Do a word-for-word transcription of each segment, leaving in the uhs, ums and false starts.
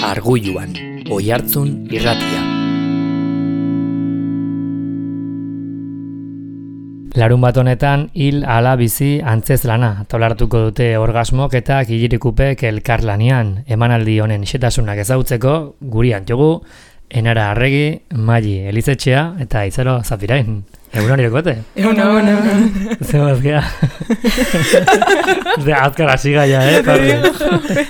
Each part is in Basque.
Argulluan, Oihartzun irratia. Larun bat honetan, hil ala bizi antzez lana, tolartuko dute orgasmok eta kilirikupek elkarlanean. Emanaldi honen xetasunak ezautzeko, guri antiogu, Enara Arregi, Maili Elizetxea eta Itzaro Zafirain. Egunon irekote? Egunon, egunon. Zer mazkea? Zer azkara sigaia, eh?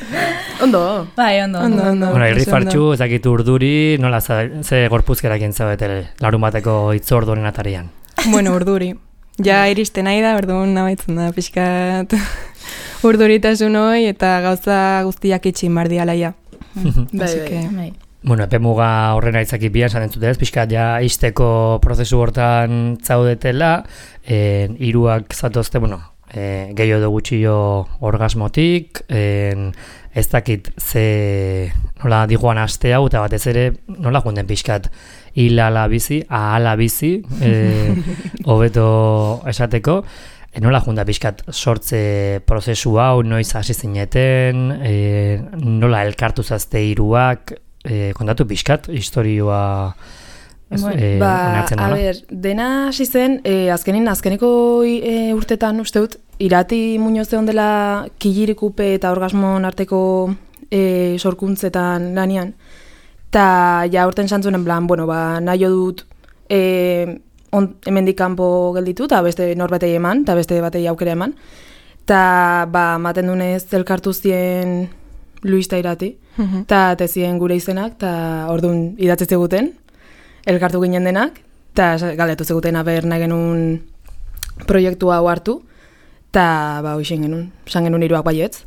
Ondo. Bai, ondo. Ondo, ondo. Bueno, irri fartxu, ezakit urduri, nola ze gorpuzkerak entzabete larun bateko itzordu honen atarian? Bueno, urduri. Ja iristen nahi da, orduan nabaitzen da, pixkat urduritasun hoi eta gauza guztiak itxin bardialaia. Bai, bai, bai. Bueno, epe muga horrena itzaki bian, zaten zutez, pixkat ja izteko prozesu hortan zaudetela, en, iruak zatozte, bueno, e, gehiago do gutxillo orgasmotik, en, ez dakit ze nola digoan aste hau, eta batez ere nola junden pixkat hil ala bizi, ahala bizi, hobeto e, esateko, e, nola junda pixkat sortze prozesu hau, noiz hasi zineten, e, nola elkartu zazte iruak, E, kontatu pixkat, historioa bueno, e, ba, a ber, dena hasi zen, e, azkenin, azkeneko e, urtetan uste dut, Irati Muñoz egon dela kilirikupe eta orgasmon arteko e, sorkuntzetan lanian, eta ja urten santzunen plan, bueno, ba, nahi dut e, on, hemendik kanpo gelditu, eta beste norbetei eman, eta beste batei aukera eman, eta ba, maten dunez elkartu zien Luis ta Irati, eta tezien gure izenak, eta orduan idatzi zeguten, elkartu ginen denak, eta galdetu zeguten aber nahi genuen proiektua hau hartu, eta ba, hoxen genuen, san genuen iruak baietz.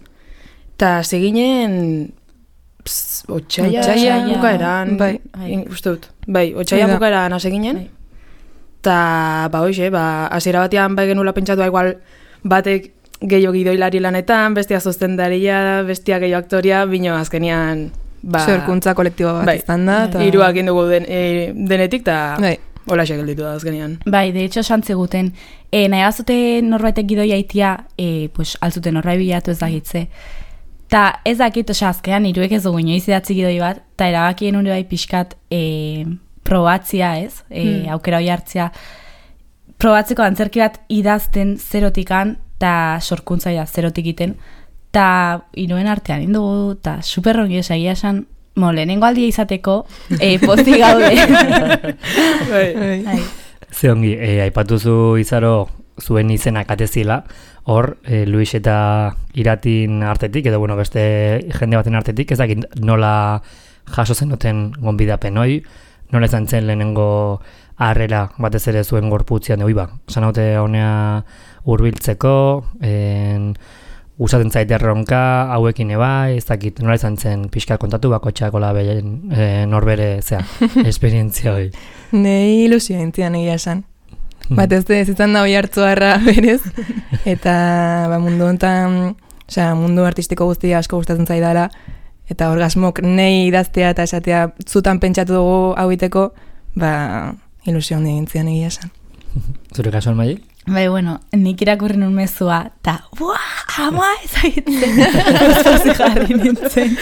Eta seginen, otxaia bukaeran, bai, uste dut, bai, otxaia bukaeran hasi ginen, eta ba, hoxe, ba, hasiera batean bai genuela pentsatu igual batek gehiago gidoilari lanetan, bestia sostendaria, bestia gehiago aktoria, bino azkenian ba, sorkuntza kolektibo bat bai, izan da. Ta... Hiruak indugu den, e, denetik, eta bai. Hola gelditu da azkenian. Bai, de hecho, santzeguten. E, nahi bazute norbaitek gidoia itia, e, pues, altzuten norbai bilatu ez dakitze. Ta ez dakit, osea, azkenean hiruek ez dugu inoiz idatzi gidoi bat, eta erabakien hori bai pixkat e, probatzia ez, e, hmm. aukera hori hartzia. Probatzeko antzerki bat idazten zerotikan, eta sorkuntzaia zerotik iten, eta iruen artean indugu, eta superrongi esagia esan, mo, lehenengo aldia izateko, e, posti gaude. Ze ongi, e, aipatuzu Izaro zuen izenak atezila, hor, e, Luis eta Iratin artetik, edo bueno, beste jende baten artetik, ez dakit nola jaso zenuten gonbidapen hoi, nola izan zen lehenengo harrera batez ere zuen gorputzian, oi ba, sanote honea hurbiltzeko, en, usaten zaite erronka, hauekin eba, ez dakit, nola izan zen pixka kontatu bako txakola behen e, norbere, zea, esperientzia hori. Nei ilusio entzian egia esan. Batez ez izan da hoi hartzu harra berez, eta ba, mundu honetan, osea, mundu artistiko guztia asko gustatzen zaidala, eta orgasmok nei idaztea eta esatea zutan pentsatu dugu hauiteko, ba, ilusio handi gintzian egia esan. Zure kasuan Maili? Bai, bueno, nik irakurri nun mezua, eta, buah, ama, ezagitzen, guztazi jarri nintzen.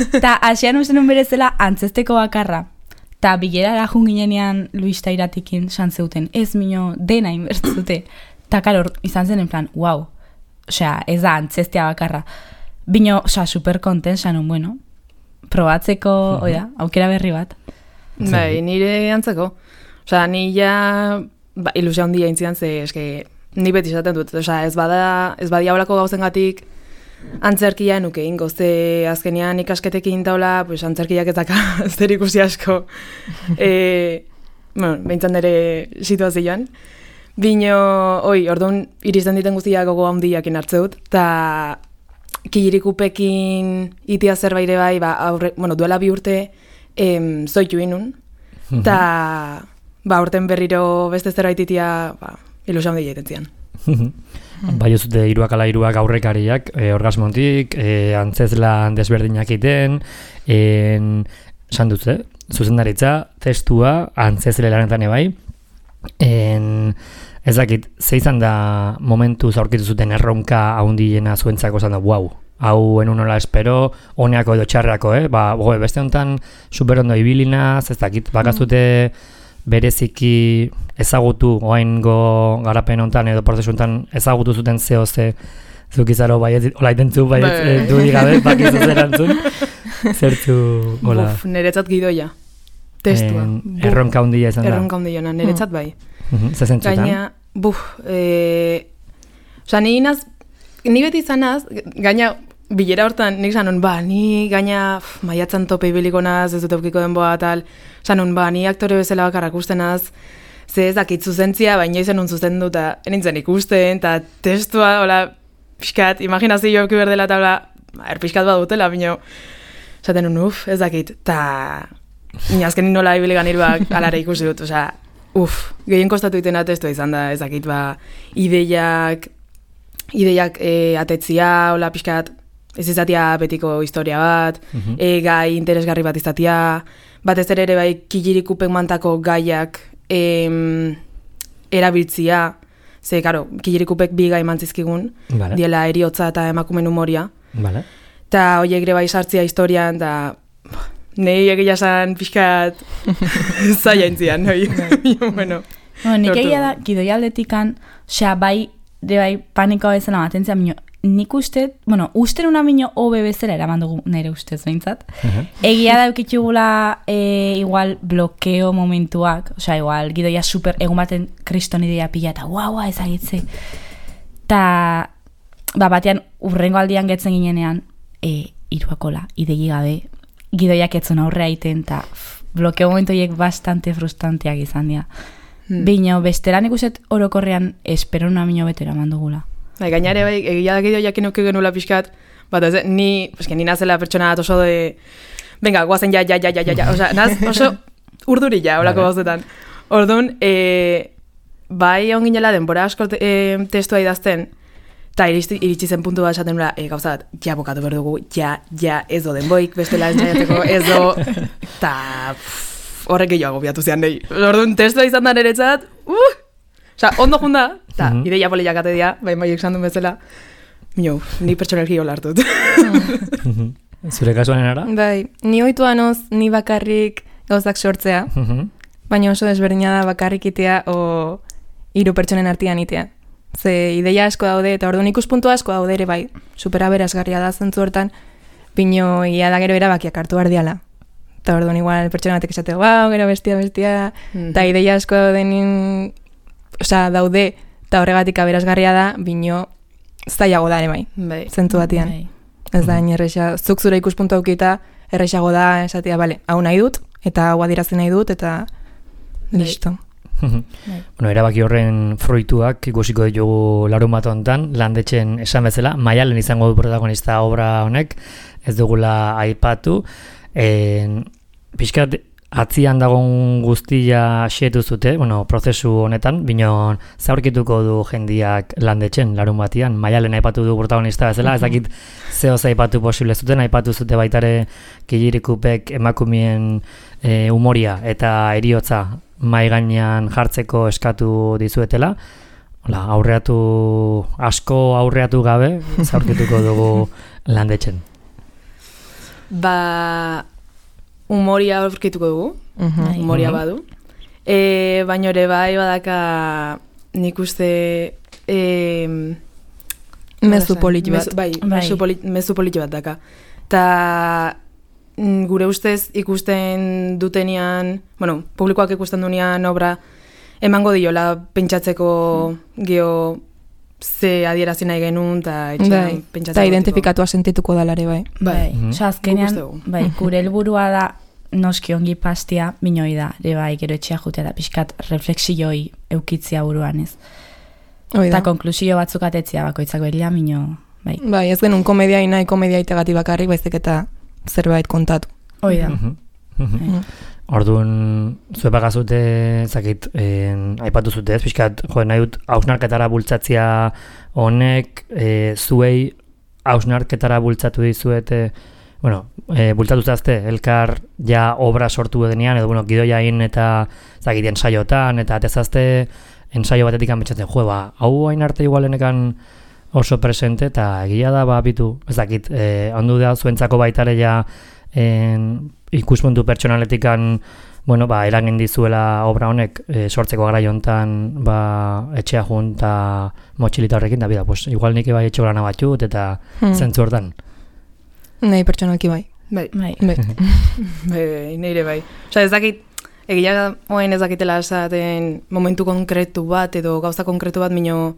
Eta asian uste nun berezela antzesteko bakarra, eta bilerara junginenean Luis ta Iratikin santzeuten, ez mino dena inbertzute. Eta karo, izan zen en plan, wow, osea, ez da antzestea bakarra. Bino, osea, super konten, sanun, bueno, probatzeko, uh-huh. oida, aukera berri bat. Bai, nire antzeko. Osea, ni ja... Ba, ilusia handia intzidan, ze eske, ni beti esaten dut, osea, ez bada, ez badia holako gauzengatik antzerkia nuke ingo, ze azkenean ikasketekin taula, pues antzerkiak ez daka zer ikusi asko. E, bueno, behintzan nire situazioan. Bino, oi, orduan iristen diten guztiak gogo handiakin hartze dut, eta kilirikupekin itia zerbaire bai, ba, aurre, bueno, duela bi urte em, zoitu inun, eta... Ba, urten berriro beste zerbait itia, ba, ilusia handia egiten zian. Bai, ez dute hiruak ala hiruak aurrekariak, e, orgasmontik, e, antzezlan desberdinak iten, esan dut, eh? Zuzendaritza, testua, antzezle lanetan ebai, en, ez dakit, ze izan da momentu zaurkitu zuten erronka haundiena zuentzako zan da, wow, hau enun nola espero, honeako edo txarreako, eh? Ba, goe, beste honetan superondo ibilinaz, ez dakit, bakazute bereziki ezagutu, oaingo garapen honetan edo prozesu honetan ezagutu zuten zeo ze, zuk izaro baiet, hola itentzu baiet dudik gabe, bakizu zerantzun, zertu, hola. Buf, niretzat gidoia, testua. Erronka hundia izan da. Erronka hundia, niretzat bai. Zezentzutan? Gaina, buf, e, oza, ni inaz, ni beti izanaz, gaina, bilera hortan, nik zanon, ba, ni gaina uf, maiatzan tope ibiliko naz, ez dut eukiko denboa, tal, zanon, ba, ni aktore bezala bakarrak ustenaz, ze ez dakit zuzentzia, baina izan un zuzen dut, eta nintzen ikusten, eta testua, hola, pixkat, imaginazio euki berdela, eta hola, er pixkat badutela, bino, zaten un, uf, ez dakit, eta, ni azkenin nola ibiligan iruak alare ikusi dut, oza, uf, gehien kostatu itena testua izan da, ez dakit, ba, ideiak, ideiak e, atetzia, hola, pixkat, ez izatia betiko historia bat, uh-huh. e, gai interesgarri bat izatia, batez ere ere bai kilirikupek mantako gaiak em, erabiltzia, ze, karo, kilirikupek bi gai mantzizkigun, vale. Diela eriotza eta emakumen humoria, vale. Eta horiek ere bai sartzia historian, eta nahi egia esan pixkat zaila intzian, bueno. Bueno, nik egia da, gidoialdetikan, osea, bai, de bai, panikoa bezala matentzia, minio, nik uste, bueno, uste una minio hobe bezala eraman dugu nire ustez behintzat. Uh-huh. Egia da eukitxugula e, igual blokeo momentuak, osea, igual, gidoia super, egun baten kriston idea pila, eta guau, guau, ezagitze. Ta, ba, batean, urrengo aldian getzen ginenean, e, iruakola, idegi gabe, gidoiak etzun aurrea iten, eta blokeo momentoiek bastante frustranteak izan dira. Hmm. Bino, besteran ikuset orokorrean espero una minio betera mandugula. Bai, gainare, bai, egia da gidoiak inuke genula pixkat, bat ez, ni, eske, ni nazela pertsona bat oso de, venga, guazen ja, ja, ja, ja, ja, ja, oza, naz, oso urduri ja, holako gauzetan. Orduan, e, bai, hon ginela denbora asko e, testua idazten, eta iritsi zen puntu bat esaten nula, e, gauza bat, ja bokatu behar dugu, ja, ja, ez do denboik, bestela entzaiateko, ez do, eta horrek gehiago biatu zean nahi. Orduan, testua izan da niretzat, uh! Osa, ondo junda, eta uh-huh. ideia poliak ate dia, bai maiek sandun bezala, minio, ni pertsonelki hola hartut. Uh-huh. Zure kasuanen ara? Bai, ni oitua noz, ni bakarrik gauzak sortzea, uh-huh. baina oso desberdina da bakarrik itea o hiru pertsonen artean itea. Ze ideia asko daude, eta orduan ikuspuntu asko daude ere bai, superaberazgarria da zentzu hortan, pino ia da gero erabakiak hartu behar diala. Eta orduan igual pertsona batek esateko, wow, gero bestia, bestia, eta uh-huh. ideia asko daudenin, osea, daude, eta horregatik aberazgarria da, bino zailago da ere bai, bai. Zentu batian. Bai. Ez da, mm-hmm. erresa, zuk zure ikuspuntu aukita, erresago da, esatia, bale, hau nahi dut, eta hau adirazi nahi dut, eta bai. Listo. Bai. Bueno, erabaki horren fruituak ikusiko ditugu larun bat honetan, landetxen esan bezala, Maialen izango du protagonista obra honek, ez dugula aipatu, en, pixkat, atzian dagoen guztia xetu zute, bueno, prozesu honetan, binon zaurkituko du jendiak landetxen larun batian, Maialen aipatu du protagonista bezala, ez dakit zehoz aipatu posible zuten, aipatu zute baitare kilirikupek emakumien e, humoria eta eriotza mai gainean jartzeko eskatu dizuetela. Hola, aurreatu, asko aurreatu gabe, zaurkituko dugu landetxen. Ba... Humoria aurkituko dugu, uh-huh. humoria badu. E, baina ere bai badaka nik uste... E, mezu politi bat. Mezu, bai, bai. Mezu, politi, mezu politi bat daka. Ta gure ustez ikusten dutenian, bueno, publikoak ikusten dunean obra, emango diola pentsatzeko geho ze adierazi nahi genuen, eta etxean pentsatzen. Eta identifikatua sentituko dalare bai. Bai, mm-hmm. Osa, azkenean, bai, gure helburua da noski ongi pastia, minoi da, ere bai, gero etxea jutea da, pixkat refleksioi eukitzia buruan ez. Eta konklusio batzuk atetzia bakoitzak behila, mino, bai. Bai, ez genuen komedia nahi komedia itegati bakarrik, baizik eta zerbait kontatu. Hoi da. Mm-hmm. Mm-hmm. Orduan, zue bagazute, zakit, eh, aipatu zute ez, pixkat, jo, nahi dut hausnarketara bultzatzia honek, eh, zuei hausnarketara bultzatu dizuete, bueno, eh, bultzatu zazte, elkar ja obra sortu edenean, edo, bueno, gidoia in eta, zakit, ensaiotan, eta atezazte ensaio batetik anbetxatzen, jo, ba, hau hain arte igualenekan oso presente, eta egia da, ba, bitu, ez dakit, eh, ondu da zuentzako baitare ja en, ikuspuntu pertsonaletikan, bueno, ba, eragin dizuela obra honek e, sortzeko garaio hontan ba, etxea junta motxilita horrekin, da bida, pues, igual nik bai etxe lana batxut, eta hmm. zentzu hortan. Nahi pertsonalki bai. Bai, Bai. Bai. bai, nire bai. Osa, ez dakit, egia oain ez dakitela esaten momentu konkretu bat, edo gauza konkretu bat, mino,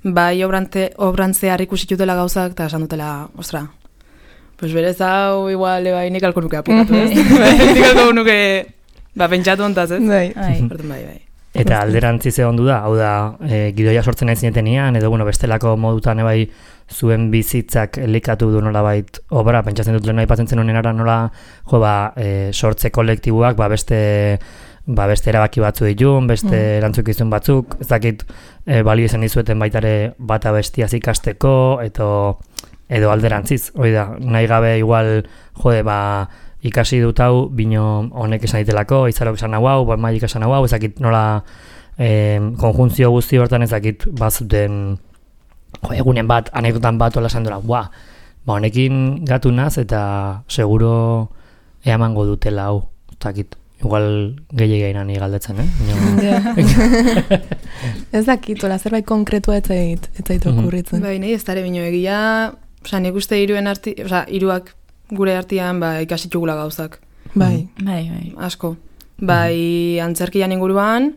bai obrante, obrantzear ikusitutela gauzak, eta esan dutela, ostra, pues berez hau, igual, bai, nik alko nuke aplikatu, ez? Nik alko nuke... Ba, pentsatu ontaz, ez? Bai. Bai, bai, bai. Eta alderantzi ze ondu da, hau da, e, gidoia sortzen nahi zinetenean, edo bueno, bestelako modutan ebai zuen bizitzak elikatu du nolabait obra, pentsatzen dut lehen aipatzen zen honen ara nola, jo, ba, e, sortze kolektiboak, ba, beste, ba, beste erabaki batzu ditun, beste mm. erantzukizun batzuk, ez dakit e, balio izan dizueten baitare bata bestiaz ikasteko, edo, edo alderantziz, hori da, nahi gabe igual, jode, ba, ikasi dut hau, bino honek esan ditelako, izarok esan hau hau, maik esan hau hau, ezakit nola eh, konjuntzio guzti hortan ezakit bazuten jo, egunen bat, anekdotan bat ola esan dola, ba, ba honekin gatu naz eta seguro eamango dutela hau, ezakit, igual gehiagei nani galdetzen, eh? Yeah. Ez dakit, ola zerbait konkretua ez zait, ez zait okurritzen. Bai, nahi ez dara bino egia, oza, nik uste iruen arti, oza, iruak gure artean ba, ikasitugula gauzak. Bai. Bai, bai. Asko. Bai, antzerkian inguruan,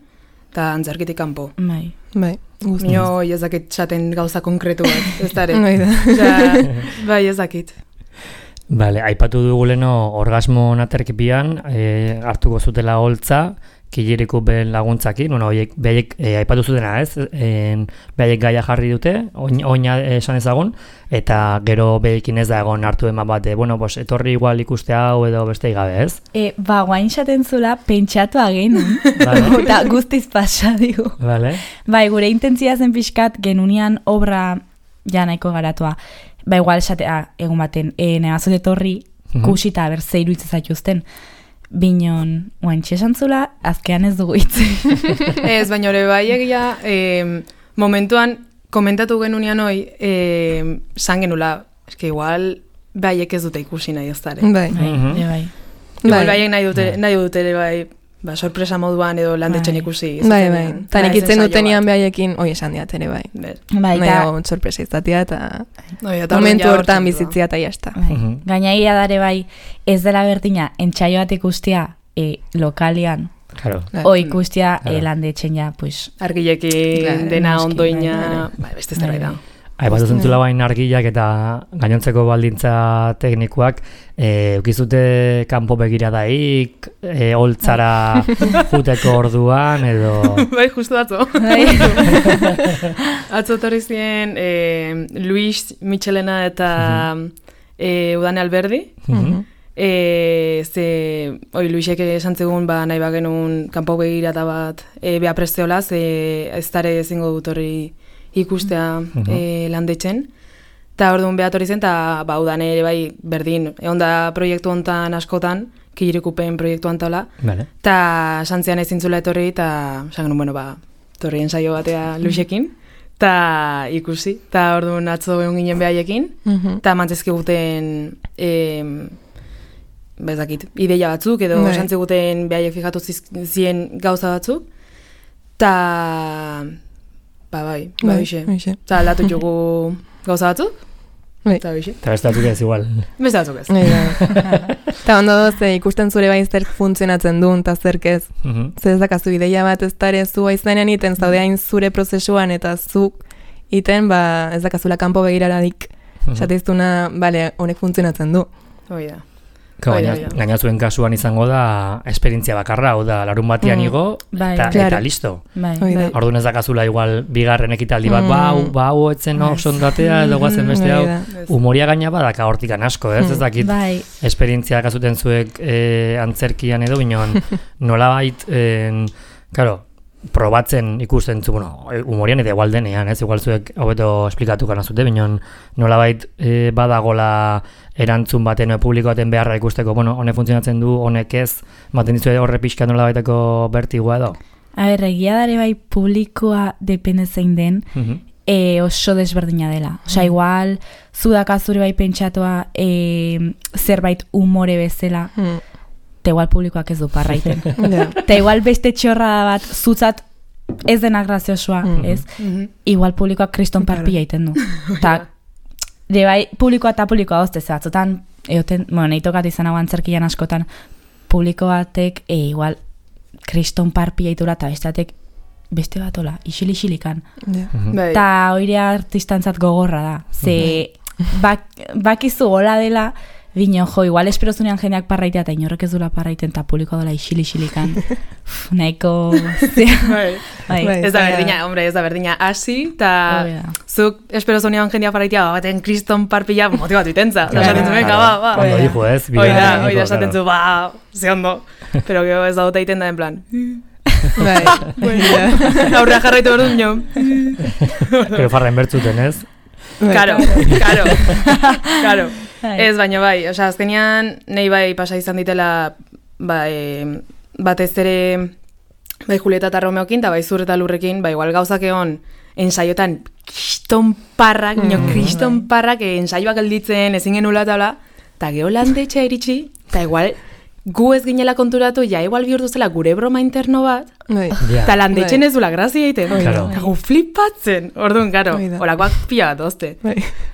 eta antzerkitik kanpo. Bai. Bai. Nio ez dakit txaten gauza konkretu bat, ez dara. Bai da. Bai, ez dakit. Bale, aipatu dugu leno orgasmo naterkipian, e, hartuko zutela holtza, kiliriku ben laguntzakin, bueno, oiek, behaiek, e, aipatu zutena ez, e, behaiek gaia jarri dute, oina esan ezagun, eta gero behekin ez da egon hartu eman bate, bueno, pues, etorri igual ikuste hau edo beste gabe ez? E, ba, guain xaten zula pentsatu agenu, Vale. eta guztiz pasa digu. Vale. Bai, gure intentzia zen pixkat genunian obra ja nahiko garatua. Ba, igual esatea egun baten, e, negazot etorri Mhm. kusita ber zeiru hitz zaituzten. Binon, guain txesan zula, azkean ez dugu hitzi. Ez, baina hori bai egia, eh, momentuan komentatu genunean hoi, eh, san genula, eske igual baiek ez dute ikusi nahi ez dara. Bai. Bai, Mhm. bai, bai. Igual Bai. baiek nahi dute, Bai. nahi dute ere bai, ba, sorpresa moduan edo landetxen Bai. ikusi. Bai, bai. zuzenean. Ta nik Naiz itzen ensaio dutenian bat. behaiekin, oi esan diat ere bai. Ber. Bai, Nahi eta, hau sorpresa izatea eta Oi, eta momentu orduan ja hortan hortzen bizitzia eta jazta. bai. Mhm. Gainaia dare bai, ez dela berdina, entxaio bat ikustia e, lokalian, Claro. o ikustia Claro. e, landetxen ja, pues, Argilekin Claro, dena noski, ondoina, bai, bai, beste zerbait da. Aipatu zentzula bain argilak eta gainontzeko baldintza teknikoak, e, ukizute kanpo begiradaik, e, holtzara juteko orduan, edo... Bai, justu atzo. bai. Atzo torri ziren eh, Luis Michelena eta eh, Udane Alberdi. Mhm. E, ze, oi, Luisek esan zegoen, ba, nahi bagenun kanpo begirata bat e, beha presteola, ze ez dara ezingo dut hori ikustea Mhm. e, landetxen. Ta orduan beha torri zen, eta ba, Udane ere bai berdin, egon da proiektu hontan askotan, kilirikupen proiektu hontola, Vale. eta santzian ezin zula etorri, eta esan genuen, bueno, ba, torri ensaio batea Luisekin, eta ikusi, eta orduan atzo egon ginen behaiekin, Mhm. eta mantzezkiguten em, bezakit, ideia batzuk, edo Bai. esan ziguten behaiek fijatu ziz- zien gauza batzuk, eta ba bai, ba Bai, bixe. hoxe. Eta aldatu jugu gauza batzuk, Bai. eta bixe. Eta beste batzuk ez igual. Beste batzuk ez. Bai, bai. Eta ondo doze ikusten zure bai zerk funtzionatzen duen eta zerk ez. Mhm. Zer ez dakazu ideia bat ez dara zu aizanean iten zaude hain zure prozesuan eta zuk iten ba ez dakazula kanpo begiraradik. Mhm. Esateiztuna, bale, honek funtzionatzen du. Hoi da. Ka, Bai, gaina, bai, bai. gaina zuen kasuan izango da esperientzia bakarra, hau da, larun batean Mm. igo, Bai, eta, claro. eta listo. bai. Hoi da. Orduan ez dakazula igual bigarren ekitaldi bat, Mm. ba, hau, ba, hau etzen Bai. oso ondatea, edo guazen beste hau. Hoi da. Ez. Humoria gaina badaka hortikan asko, ez? Ez dakit Bai, esperientzia dakazuten zuek e, antzerkian edo, binon nolabait, en, claro, probatzen ikusten zu, bueno, e, humorian eta igual denean, ez? Igual zuek hobeto esplikatu gana zute, binon nolabait e, badagola erantzun baten, o publiko baten beharra ikusteko, bueno, honek funtzionatzen du, honek ez, maten dizu horre pixka nolabaiteko bertigoa edo. a ber, egia dare bai publikoa depende zein den, Mhm. e, oso desberdina dela. Osea, igual, zu dakazure bai pentsatua e, zerbait umore bezala, mm. te igual publikoak ez du parraiten. yeah. Te igual beste txorra bat zutzat ez dena graziosoa, mm-hmm. ez? Mm-hmm. Igual publikoak kriston parpilla iten du. Ta, de bai, publikoa eta publikoa hoztez batzutan, eoten, bueno, nahi tokat izan hau antzerkian askotan, publiko batek, e, igual, kriston parpilla itura eta besteatek beste batola, isil-isilikan. Yeah. Mm-hmm. Ta oire artistantzat gogorra da. Ze, bak, bakizu gola dela, bino, jo, igual esperozunean jendeak parraitea eta inorrek ez dula parraiten eta publikoa dola isil-isilikan. Nahiko... bai. Bai. Ez da berdina, hombre, ez da berdina. Asi, eta zuk esperozunean jendeak parraitea, baten kriston parpilla motibatu itentza. Esaten zuen, ba, ba. Ondo dijo, ez? Oida, oida, esaten zu, ba, ze ondo. Pero gero ez da dute iten da, en plan... Bai, aurrea jarraitu behar dut nio. Pero farren bertzuten, ez? Karo, karo, karo. Ez, baina bai, osea, azkenean nahi bai pasa izan ditela bai, batez ere bai Julieta eta Romeokin, eta bai Zur eta Lurrekin, bai igual gauzak egon ensaiotan kriston parrak, mm, nio kriston parrak, ensaioak gelditzen, ezin genula eta bla, eta geho landetxea iritsi, eta igual gu ez ginela konturatu, ja igual bihurtu zela gure broma interno bat, eta landetxen ez dula grazia egiten. Eta gu flipatzen, orduan, karo, horakoak pila bat ozte.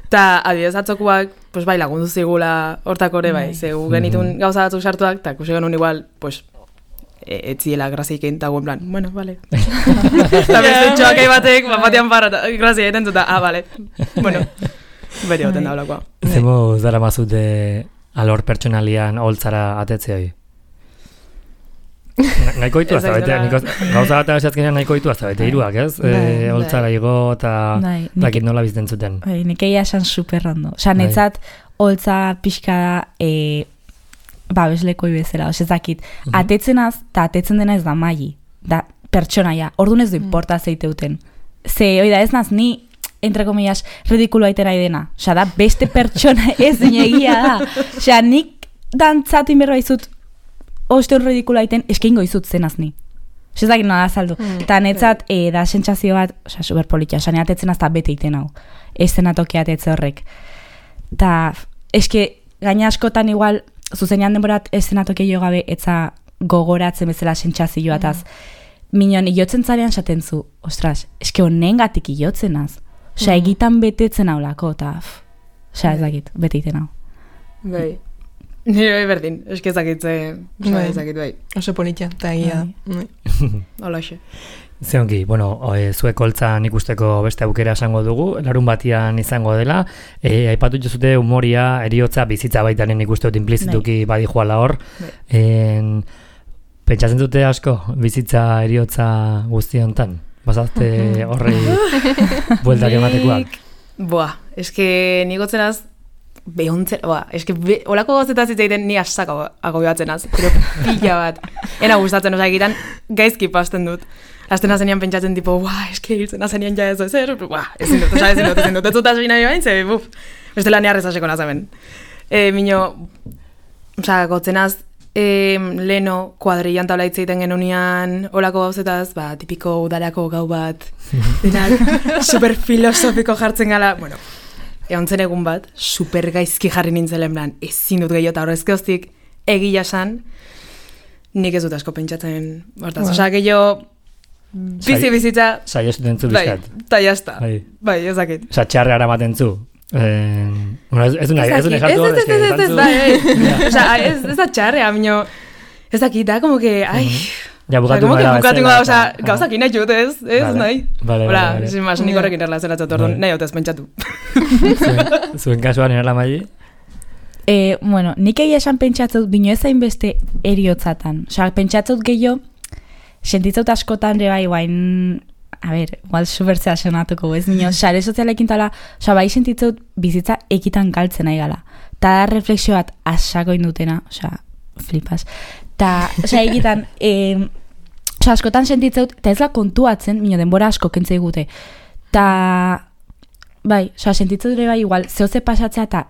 Eta adibidez atzokuak, pues bai, lagundu zigula hortakore bai, ze gu genitun gauza batzuk sartuak, eta kusi genuen igual, pues, etziela grazia egiten, eta guen plan, bueno, vale. Eta beste txoakai batek, batean parra, grazia egiten zuta, ah, vale. Bueno, beri goten da holakoa. Zemo zara mazute alor pertsonalian holtzara atetze hori? Nahiko ditu azta bete, gauza bat abesiatzkenean nahiko ditu azta bete, iruak, ez? Holtzara igo eta dakit nola bizten zuten. Nik egia esan super rondo. Osa, netzat holtza pixka da babeslekoi bezala, osa ez dakit. Atetzenaz, eta atetzen dena ez da maili, da pertsonaia, orduan ez du importa zeiteuten. Ze, oida, ez naz, ni entre comillas, ridikulo aiten nahi dena. Osa, da, beste pertsona ez dinegia da. Osa, nik dantzatin berba izut, osteon ridikulo aiten, eskingo izut zenaz ni. Osa, ez dakit nola azaldu. Eta mm, netzat, e, da, sentsazio bat, osa, superpolitia, osa, neatetzen azta bete iten hau. Ez zenatoki atetze horrek. Ta, eske, gaina askotan igual, zuzenean denborat ez zenatoki jo gabe, etza gogoratzen bezala sentsazioa ataz. Mm. Minon, iotzen zarean saten zu, ostras, eske honen gatik iotzen az. Osa, egitan betetzen haulako, eta, osa, ez dakit, bete iten hau. Bai. Nire bai berdin, eski ezakitze, osa, ezakit bai. Oso politia, eta egia. Hola, xe. Zeongi, bueno, e, zuek holtzan ikusteko beste aukera esango dugu, larun batian izango dela, e, aipatu jozute humoria, eriotza, bizitza baitanen ikusteot implizituki badi joala hor. En, pentsatzen dute asko, bizitza, eriotza guzti hontan? Bazazte horrei bueltak ematekoak? Boa, eske nigotzenaz, behontzen, boa, eske be, olako gauzetaz itzaiten ni asako agobiatzenaz, pero pila bat. Ena gustatzen, osa egitan, gaizki pasten dut. Azten azenian pentsatzen tipo, buah, eske hiltzen azenian ja ez da zer, buah, ezin dut, osa ezin dut, ezin dut, ez dut azbina bain, ze, buf, beste lan neharrezaseko nazamen. E, Mino, osa, gotzenaz, E, leno kuadrillan tabla hitzeiten genunian olako gauzetaz, ba, tipiko udarako gau bat, denak super filosofiko jartzen gala, bueno, egon zen egun bat, super gaizki jarri nintzelen plan, ezin dut gehiago, eta horrezke hostik egia san, nik ez dut asko pentsatzen, hortaz, wow. Osa, gehiago, bizi bizitza, saio zuten zu bizkat. Bai, eta jazta, bai, ezakit. Osa, txarre aramaten zu. Eh, bueno, ez du nahi, ez du nahi jartu horrez. Ez, ez, ez, ez, bai, osa, ez da txarre, amino, ez dakit, da, como que, ai, ja, bukatu gara bezala. Osa, gauzak inahi jut, ez, ez, nahi. Bale, bale, bale. Sin mas, nik horrekin erlazionatzat, orduan, nahi hotez pentsatu. Zuen kasuan erala maili? Eh, bueno, nik egia esan pentsatzut, bino ez hainbeste eriotzatan. Osa, pentsatzut gehiago, sentitzaut askotan ere bai, guain, a ber, igual supertzea senatuko, ez nio, sare sozialekin tala, osa, bai sentitzaut bizitza ekitan galtzen nahi gala. Ta da refleksio bat asako indutena, osa, flipas. Ta, osa, egitan, eh, osa, askotan sentitzaut, eta ez da kontuatzen, mino denbora asko kentzei gute. Ta, bai, osa, sentitzaut ere bai, igual, zehoze pasatzea eta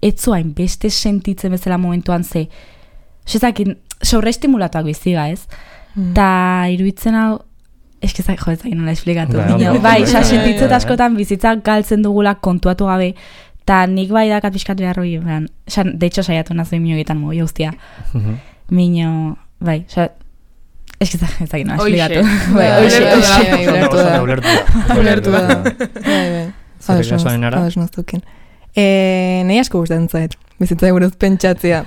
etzuain beste sentitzen bezala momentuan ze, osa, ezakin, sobreestimulatuak biziga, ez? Mm. Ta, iruditzen hau, eske zai, jo, ez da nola esplikatu. Bai, Baina, ondo, bai, ondo, sa bai, sentitzet bai, askotan bizitza galtzen dugula kontuatu gabe, eta nik bai dakat pixkat behar hori, de hecho saiatu nazoin minogetan mogi guztia. Mino, bai, oza, eske ez da nola esplikatu. Bai, Oixe, oixe, oixe, ulertu da. Ulertu da. Bai, bai. Zerrik asoan enara? Ados maztukin. E, nahi asko gustatzen zait, bizitzai buruz pentsatzea.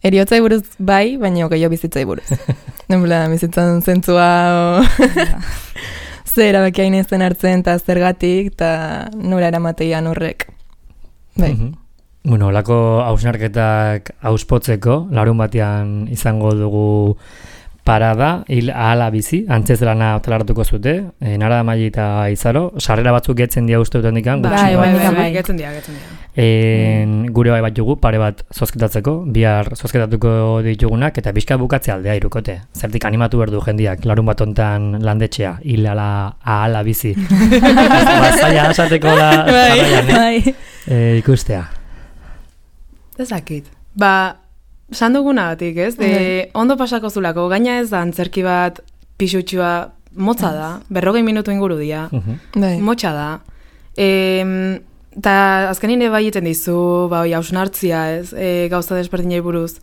Eriotzai buruz bai, baina gehiago bizitzai buruz. Nenbela, bizitzan zentzua o... zer erabaki hain ezten hartzen, eta zergatik, eta nora eramateian horrek. Bai. Bueno, olako hausnarketak auspotzeko, larun batean izango dugu parada, hil ahala bizi, antzez lana otalaratuko zute, e, Nara Maili eta Izaro, sarrera batzuk getzen dia uste duten dikan, Bai, bai, bai, bai. getzen dira, getzen dira. En, gure bai bat jugu, pare bat zozketatzeko, bihar zozketatuko ditugunak, eta bizka bukatze aldea irukote. Zertik animatu berdu jendiak, larun bat ontan landetxea, hil ala, ahala bizi. Bazaila asateko da, jarraian, Bai. eh, ikustea. Ez dakit. Ba, san dugunagatik, ez? De, ondo pasako zulako, gaina ez da antzerki bat pixutxua motza da, berrogei minutu inguru dia, Bai. motxa da. E, eta azkenin bai egiten dizu, ba, oi, hausnartzia, ez? E, gauza desberdinei buruz.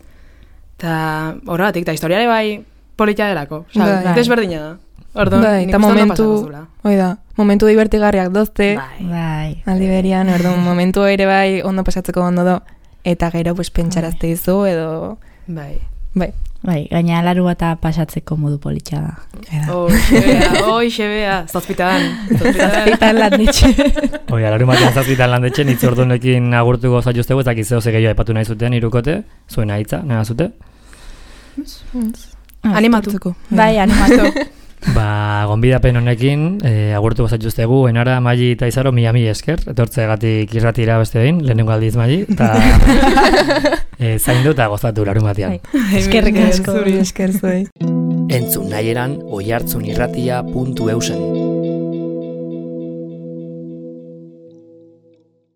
Eta horregatik, eta historiare bai polita delako. Osa, Bai. desberdina da. Orduan, Bai, nik eta uste ondo momentu, pasako zula. hoi da, momentu divertigarriak dozte, Bai. aldi berian, orduan, momentu ere bai ondo pasatzeko ondo do, eta gero pues, pentsarazte izu, edo, Bai. bai. Bai, gaina laru bata pasatzeko modu politxa da. Eda. Hoxe bea, hoxe bea, zazpitan. Zazpitan. Eta landetxe. Oi, alaru batean zazpitan landetxen, hitz ordunekin agurtuko zaituztegu, ez dakizeo ze gehiago aipatu nahi zuten irukote, zuen hitza, nahi zute. Animatu. Hartzeko. Bai, animatu. Ba, gonbidapen honekin, e, agurtuko zaituztegu, Enara, Maili eta Izaro, mila mila esker, etortzegatik irratira beste behin, lehenengo aldiz Maili, eta e, zaindu eta gozatu larun batean. Bai. Eskerrik asko. Zuri esker zuei. Entzun nahi eran, oihartzunirratia puntu eusen.